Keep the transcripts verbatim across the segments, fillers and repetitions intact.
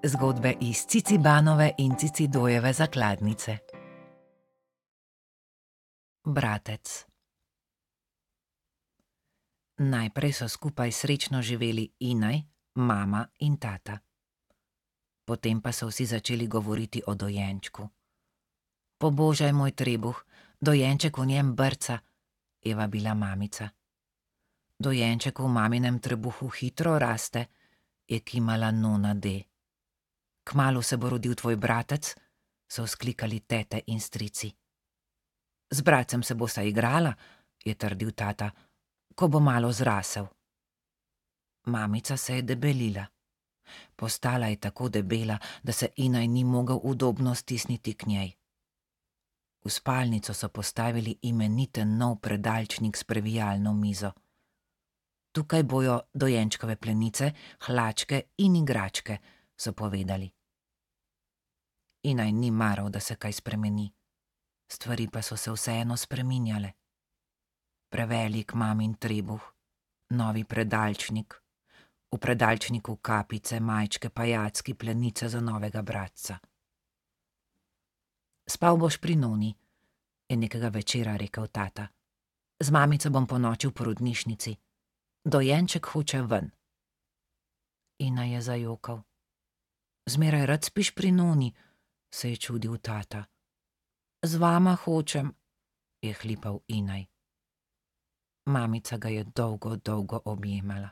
Zgodbe iz Cicibanove in Cicidojeve zakladnice. Bratec. Najprej so skupaj srečno živeli Inaj, mama in tata. Potem pa so vsi začeli govoriti o dojenčku. Pobožaj moj trebuh, dojenček v njem brca, je vabila mamica. Dojenček v maminem trebuhu hitro raste, je kimala nona D. Kmalu se bo rodil tvoj bratec, so vzklikali tete in strici. Z bratcem se bosta igrala, je trdil tata, ko bo malo zrasel. Mamica se je debelila. Postala je tako debela, da se Inaj ni mogel udobno stisniti k njej. V spalnico so postavili imeniten nov predalčnik s previjalno mizo. Tukaj bojo dojenčkove plenice, hlačke in igračke, so povedali. Inaj ni maral, da se kaj spremeni. Stvari pa so se vseeno spreminjale. Prevelik mamin trebuh, novi predalčnik, v predalčniku kapice, majčke, pajacki, plenice za novega bratca. Spal boš pri noni, je nekega večera rekel tata. Z mamico bom ponoči v porodnišnici. Dojenček hoče ven. Inaj je zajokal. Zmeraj rad spiš pri noni, se je čudil tata. Z vama hočem, je hlipal Inaj. Mamica ga je dolgo, dolgo objemala.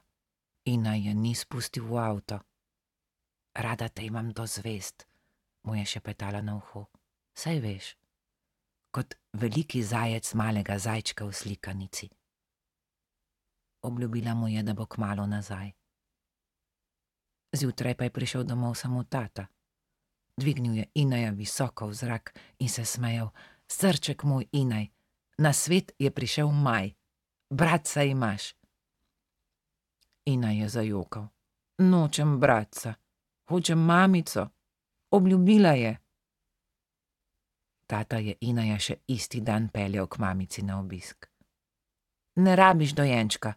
Inaj je ni spustil v avto. Rada te imam do zvezd, mu je šepetala na uho. Saj veš, kot veliki zajec malega zajčka v slikanici. Obljubila mu je, da bo kmalu nazaj. Zjutraj pa je prišel domov samo tata. Dvignil je Inaja visoko v zrak in se smejal. Srček moj, Inaj, na svet je prišel maj. Bratca imaš. Inaj je zajokal. Nočem bratca, hočem mamico. Obljubila je. Tata je Inaja še isti dan peljal k mamici na obisk. Ne rabiš dojenčka,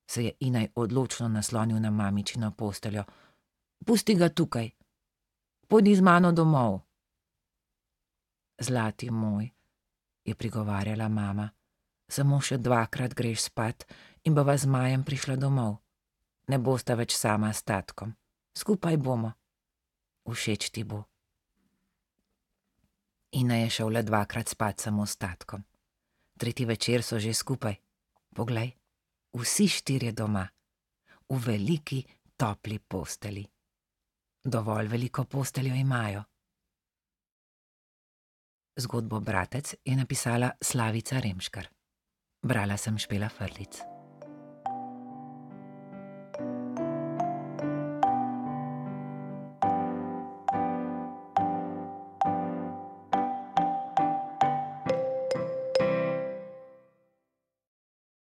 se je Inaj odločno naslonil na mamičino posteljo. Pusti ga tukaj. Pojdi z mano domov. Zlati moj, je prigovarjala mama, samo še dvakrat greš spat in bova z Majem prišla domov. Ne bosta več sama s tatkom. Skupaj bomo. Všeč ti bo. Inaj je šel le dvakrat spat samo s tatkom. Tretji večer so že skupaj. Poglej, vsi štirje doma. V veliki, topli posteli. Dovolj veliko posteljo imajo. Zgodbo Bratec je napisala Slavica Remškar. Brala sem Špela Frlic.